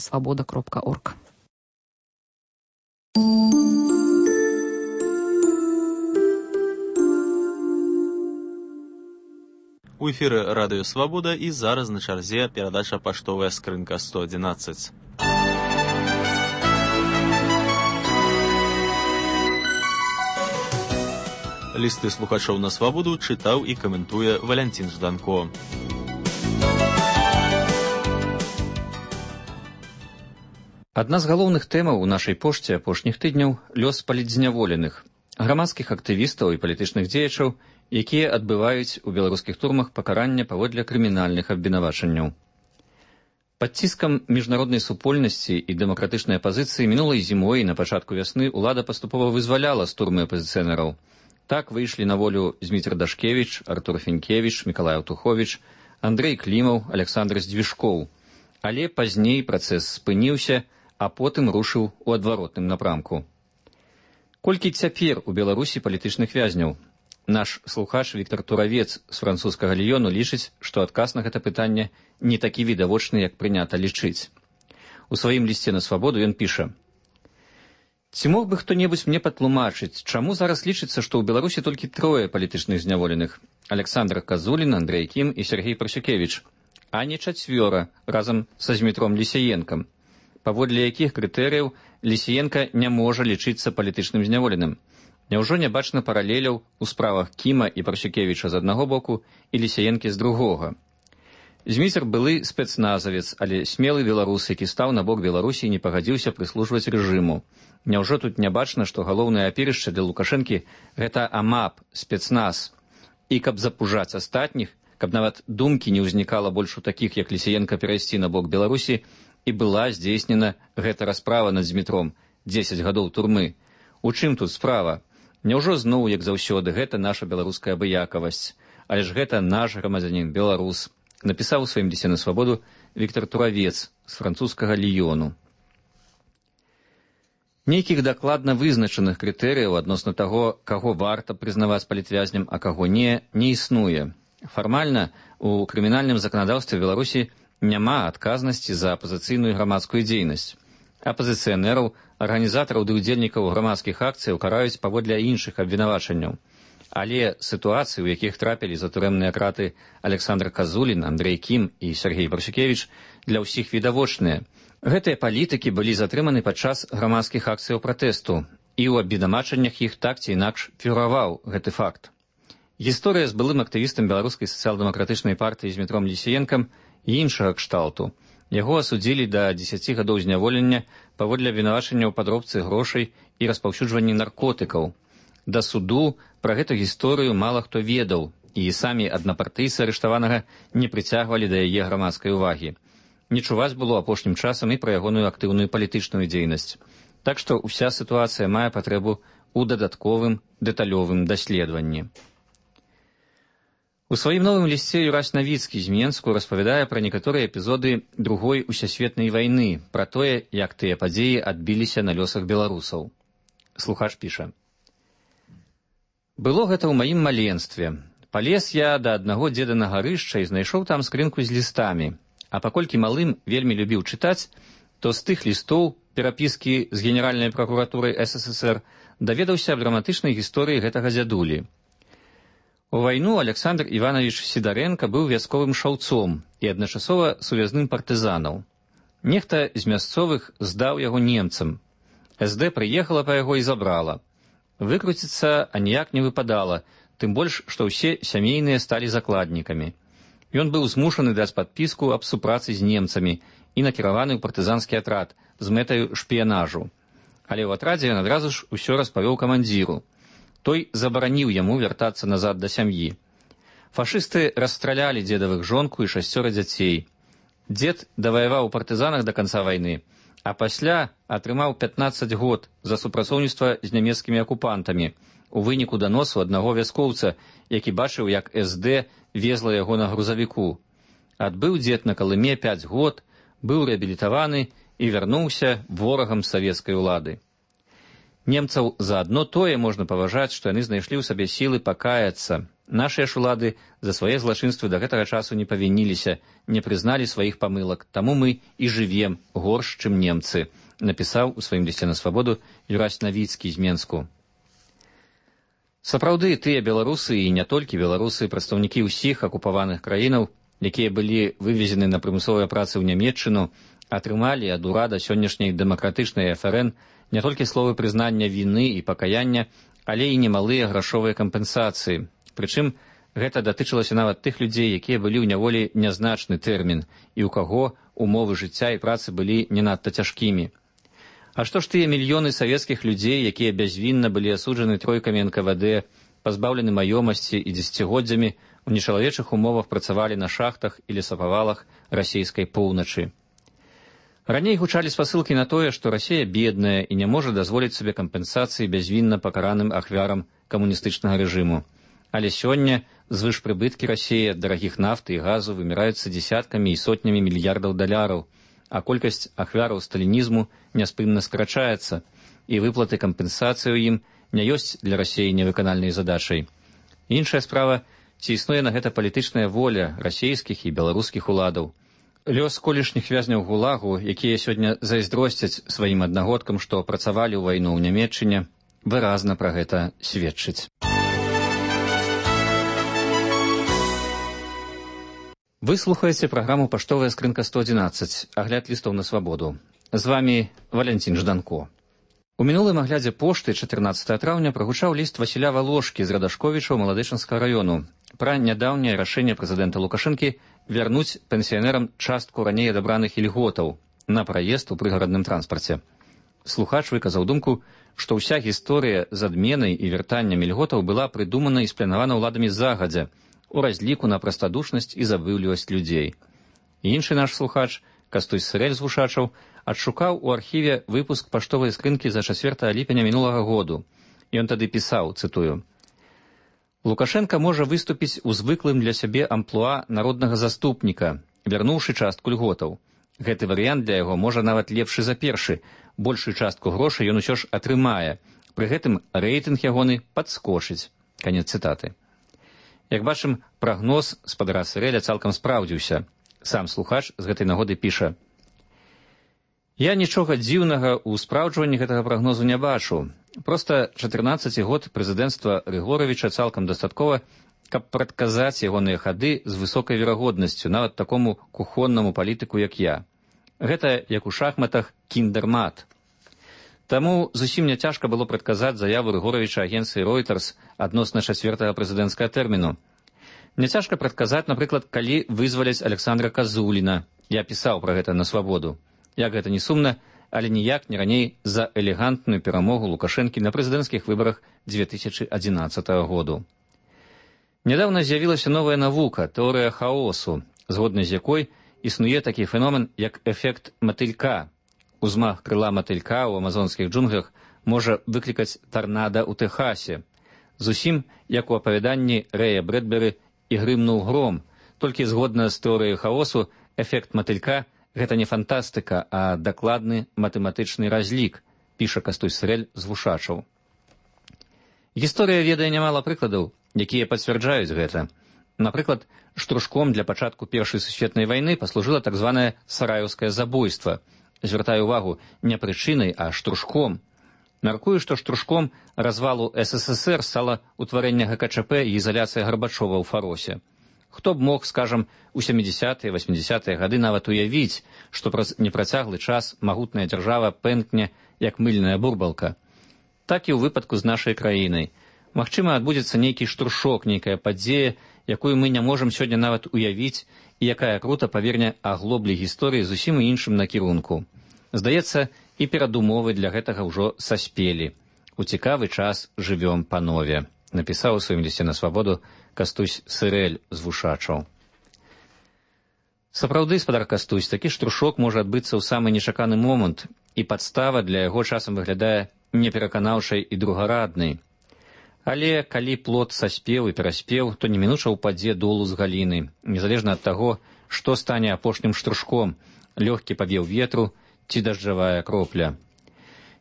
свобода.орг. У эфіры Радыё Свабода і зараз на чарзе перадача «Паштовая скрынка 111». Лісты слухачоў на свабоду чытаў і каментуе Валянцін Жданко. Адна з галоўных тэмаў у нашай пошце апошніх тыдняў – лёс палітзняволеных, грамадскіх актывістаў і палітычных дзеячаў, якія адбываюць у беларускіх турмах пакарання паводле крымінальных абвінавачанняў. Пад ціскам міжнароднай супольнасці і дэмакратычнай апазіцыі мінулай зімой і на пачатку вясны ўлада паступова вызваляла з турмы апазіцыянераў. Так выйшлі на волю Зміцер Дашкевіч, Артур Фінкевіч, Мікалай Аўтуховіч, Андрэй Клімаў, Александр Здвіжкоў. Але пазней працэс спыніўся, а потым рушыў у адваротным напрамку. Колькі цяпер у Беларусі палітычных вязняў? Наш слухач Віктор Туравец з французскага Ліёну лічыць, што адказ на гэта пытанне не такі відавочны, як прынята лічыць. У сваім лісце на свабоду ён піша: «Ці мог бы хто-небудзь мне патлумачыць, чаму зараз лічыцца, што ў Беларусі толькі 3 палітычных зняволеных – Александр Казулін, Андрэй Кім і Сергей Парсюкевіч, а не 4 разам са Змітром Лісіенкам, паводле якіх крытэрыяў Лісіенка не можа лічыцца палітычным зняволеным? Няўжо не бачна паралеляў у справах Кіма і Парсюкевіча з аднаго боку і Лісіенкі з другога? Зміцер былы спецназавец, але смелы беларус, які стаў на бок Беларусі і не пагадзіўся прыслужваць рэжыму. Няўжо тут не бачна, што галоўнае апірышча для Лукашэнкі – гэта АМАП, спецназ. І каб запужаць астатніх, каб нават думкі не ўзнікала больш у такіх, як Лісіенка, перайсці на бок Беларусі, і была здзейснена гэта расправа над Змітром, 10 гадоў турмы. У чым тут справа? Няўжо зноў, як заўсёды, гэта наша беларуская абыякавасць? Але ж гэта наш грамадзянін, беларус, напісаў у сваім лісце на свабоду Віктор Туравец з французскага Ліёну. Нейкіх дакладна вызначаных крытэрыяў адносна таго, каго варта прызнаваць палітвязням, а каго не існуе. Фармальна у крымінальным заканадаўстве Беларусі няма адказнасці за апазіцыйную грамадскую дзейнасць. Апазіцыянераў, арганізатараў ды ўдзельнікаў грамадскіх акцыяў караюць паводле іншых абвінавачанняў. Але сітуацыі, у якіх трапілі за турэмныя краты Александр Казулін, Андрэй Кім і Сергей Парсюкевіч, для ўсіх відавочныя. Гэтыя палітыкі былі затрыманы падчас грамадскіх акцыяў пратэсту, і ў абвінавачаннях іх так ці інакш фігураваў гэты факт. Гісторыя з былым актывістам беларускай сацыял-дэмакратычнай партыі Змітром Лісіенкам і іншага кшталту. Яго асудзілі да 10 гадоў зняволення паводле абвінавачання ў падробцы грошай і распаўсюджванні наркотыкаў. Да суду пра гэту гісторыю мала хто ведаў, і самі аднапартыйцы арыштаванага не прыцягвалі да яе грамадскай увагі. Не чуваць было апошнім часам і пра ягоную актыўную палітычную дзейнасць. Так што ўся сітуацыя мае патрэбу ў дадатковым дэталёвым даследаванні. У сваім новым лісце Юрась Навіцкі з Менску распавядае пра некаторыя эпізоды Другой усесветнай вайны, пра тое, як тыя падзеі адбіліся на лёсах беларусаў. Слухач піша: «Было гэта ў маім маленстве. Палез я да аднаго дзеда на гарышча і знайшоў там скрынку з лістамі. А паколькі малым вельмі любіў чытаць, то з тых лістоў перапіскі з Генеральнай пракуратурай СССР даведаўся аб драматычнай гісторыі гэтага дзядулі. У вайну Александр Іванович Сідарэнка быў вясковым шаўцом і адначасова сувязным партызанаў. Нехта з мясцовых здаў яго немцам. СД прыехала па яго і забрала. Выкруціцца аніяк не выпадала, тым больш, што ўсе сямейныя сталі закладнікамі. Ён быў змушаны даць падпіску аб супрацы з немцамі і накіраваны ў партызанскі атрад з мэтаю шпіянажу. Але ў атрадзе ён адразу ж усё распавёў камандзіру. Той забараніў яму вяртацца назад да сям'і. Фашысты расстралялі дзедавых жонку і 6 дзяцей. Дзед даваяваў у партызанах да канца вайны, а пасля атрымаў 15 год за супрацоўніцтва з нямецкімі акупантамі у выніку даносу аднаго вяскоўца, які бачыў, як СД везла яго на грузавіку. Адбыў дзед на Калыме 5 год, быў рэабілітаваны і вярнуўся ворагам савецкай улады. Немцаў за адно тое можна паважаць, што яны знайшлі ў сабе сілы пакаяцца. Нашыя ж улады за свае злачынствы да гэтага часу не павініліся, не прызналі сваіх памылак, таму мы і жывем горш, чым немцы, напісаў у сваім лісце на свабоду Юрась Навіцкі з Менску. Сапраўды, тыя беларусы і не толькі беларусы, прадстаўнікі ўсіх акупаваных краінаў, якія былі вывезены на прымусовыя працы ў Нямецчыну, атрымалі ад урада сённяшняй дэмакратычнай ФРН не толькі словы прызнання віны і пакаяння, але і немалыя грашовыя кампенсацыі. Прычым, гэта датычылася нават тых людзей, якія былі ў няволі нязначны тэрмін, і ў каго умовы жыцця і працы былі не надта цяжкімі. А што ж тыя мільёны савецкіх людзей, якія бязвінна былі асуджаны тройкамі НКВД, пазбаўлены маёмасці і дзесяцігоддзямі, у нечалавечых умовах працавалі на шахтах і лесапавалах расійскай поўначы. Раней гучалі спасылкі на тое, што Расія бедная і не можа дазволіць сабе кампенсацыі бязвінна пакараным ахвярам камуністычнага рэжыму. Але сёння звышпрыбыткі Расіі ад дарагіх нафты і газу выміраюцца дзесяткамі і сотнямі мільярдаў даляраў, а колькасць ахвяраў сталінізму няспынна скрачаецца, і выплаты кампенсацыі ў ім не ёсць для Расіі невыканальнай задачай. Іншая справа, ці існуе на гэта палітычная воля расійскіх і беларускіх уладаў. Лёс колішніх вязняў гулагу, якія сёння зайздросцяць сваім аднагодкам, што працавалі ў вайну ў Нямецчыне, выразна пра гэта сведчыць. Вы слухаеце праграму «Паштовая скрынка 111», агляд лістаў на свабоду. З вамі Валянцін Жданко. У мінулым аглядзе пошты 14 траўня прагучаў ліст Васіля Валошкі з Радашковічаў Маладычынскага раёну пра нядаўняе рашэнне прэзідэнта Лукашэнкі вярнуць пенсіянерам частку раней адабраных ільготаў на праезд у прыгарадным транспарце. Слухач выказаў думку, што ўся гісторыя з адменай і вяртаннем ільготаў была прыдумана і спланавана ўладамі загадзя, у разліку на прастадушнасць і забыўлівасць людзей. Іншы наш слухач, Кастусь Сырэль з Вушачаў, адшукаў у архіве выпуск паштовай скрынкі за 4 ліпеня мінулага году. Ён тады пісаў, цытую: «Лукашенка можа выступіць у звыклым для сябе амплуа народнага заступніка, вярнуўшы частку льготаў. Гэты варыянт для яго можа нават лепшы за першы. Большую частку грошай ён усё ж атрымае. Пры гэтым рэйтынг ягоны падскочыць». Канец цытаты. Як бачым, прагноз спадара Сырэля цалкам спраўдзіўся. Сам слухач з гэтай нагоды піша: «Я нічога дзіўнага ў спраўджванні гэтага прагнозу не бачу. Проста 14 год прэзідэнцтва Рыгоровіча цалкам дастаткова, каб прадказаць ягоныя хады з высокай верагоднасцю нават такому кухоннаму палітыку, як я. Гэта, як у шахматах, кіндэрмат. Таму зусім не цяжка было прадказаць заяву Рыгоровіча агенцыі Reuters адносна 4-го прэзідэнцкага тэрміну. Не цяжка прадказаць, напрыклад, калі вызваляць Александра Казуліна. Я пісаў пра гэта на свабоду. Як гэта не сумна, але ніяк не раней за элегантную перамогу Лукашэнкі на прэзідэнцкіх выбарах 2011 году. Нядаўна з'явілася новая навука, тэорыя хаосу, згодна з якой існуе такі феномен, як эфект матылька. Узмах крыла матылька ў амазонскіх джунглях можа выклікаць тарнада ў Тэхасе. Зусім, як у апавяданні Рэя Брэдберы «І грымнуў гром», толькі згодна з тэорыяй хаосу, эфект матылька – гэта не фантастыка, а дакладны матэматычны разлік, піша Кастусь Сырэль з Вушачаў. Гісторыя ведае нямала прыкладаў, якія пацвярджаюць гэта. Напрыклад, штрушком для пачатку Першай сусветнай вайны паслужыла так званае сараеўскае забойства. Звяртаю увагу, не прычынай, а штрушком. Мяркую, што штрушком развалу СССР стала ўтварэнне ГКЧП і ізаляцыя Гарбачова ў Фаросе. Хто б мог, скажам, у 70-е, 80-е гады нават уявіць, што праз непрацяглы час магутная дзяржава пэнкне, як мыльная бурбалка. Так і ў выпадку з нашай краінай. Магчыма, адбудзецца нейкі штуршок, нейкая падзея, якую мы не можам сёння нават уявіць, і якая крута паверне аглоблі гісторыі зусім іншым накірунку. Здаецца, і перадумовы для гэтага ўжо саспелі. У цікавы час жывём панове, напісаў у сваім лісце на свабоду Кастусь Сырэль з Вушачаў. Сапраўды, спадар Кастусь, такі штуршок можа адбыцца ў самы нечаканы момант, і падстава для яго часам выглядае непераканаўшай і другараднай. Але калі плод саспеў і пераспеў, то немінуча ўпадзе долу з галіны, незалежна ад таго, што стане апошнім штуршком, лёгкі павеў ветру ці дажджавая кропля.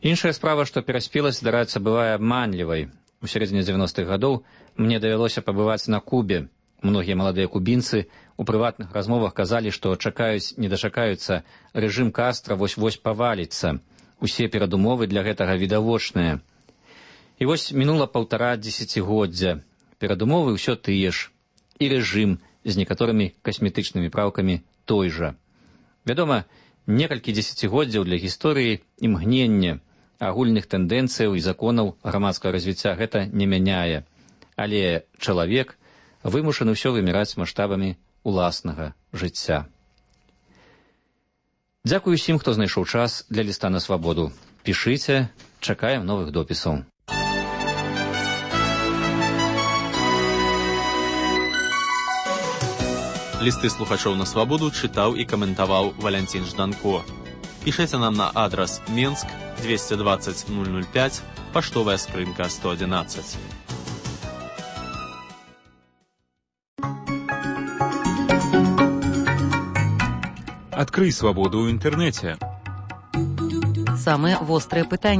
Іншая справа, што пераспеласць здараецца бывае абманлівай. У сярэдзіне 90-х гадоў мне давялося пабываць на Кубе. Многія маладыя кубінцы у прыватных размовах казалі, што чакаюць, не дачакаюцца, рэжым Кастра вось-вось паваліцца. Усе перадумовы для гэтага відавочныя. І вось мінула 1,5 дзесяцігоддзя. Перадумовы ўсё тыя ж. І рэжым з некаторымі касметычнымі праўкамі той жа. Вядома, некалькі дзесяцігоддзяў для гісторыі імгнення, агульных тэндэнцыяў і законаў грамадскага развіцця гэта не мяняе. Але чалавек вымушаны ўсё выміраць маштабамі уласнага жыцця. Дзякую усім, хто знайшоў час для ліста на свабоду. Пішыце, чакаем новых допісаў. Лісты слухачоў на свабоду чытаў і каментаваў Валянцін Жданко. Пішыце нам на адрас Менск 220 005, паштовая скрынка 111. Адкрый свабоду ў інтэрнэце. Самыя вострыя пытанні.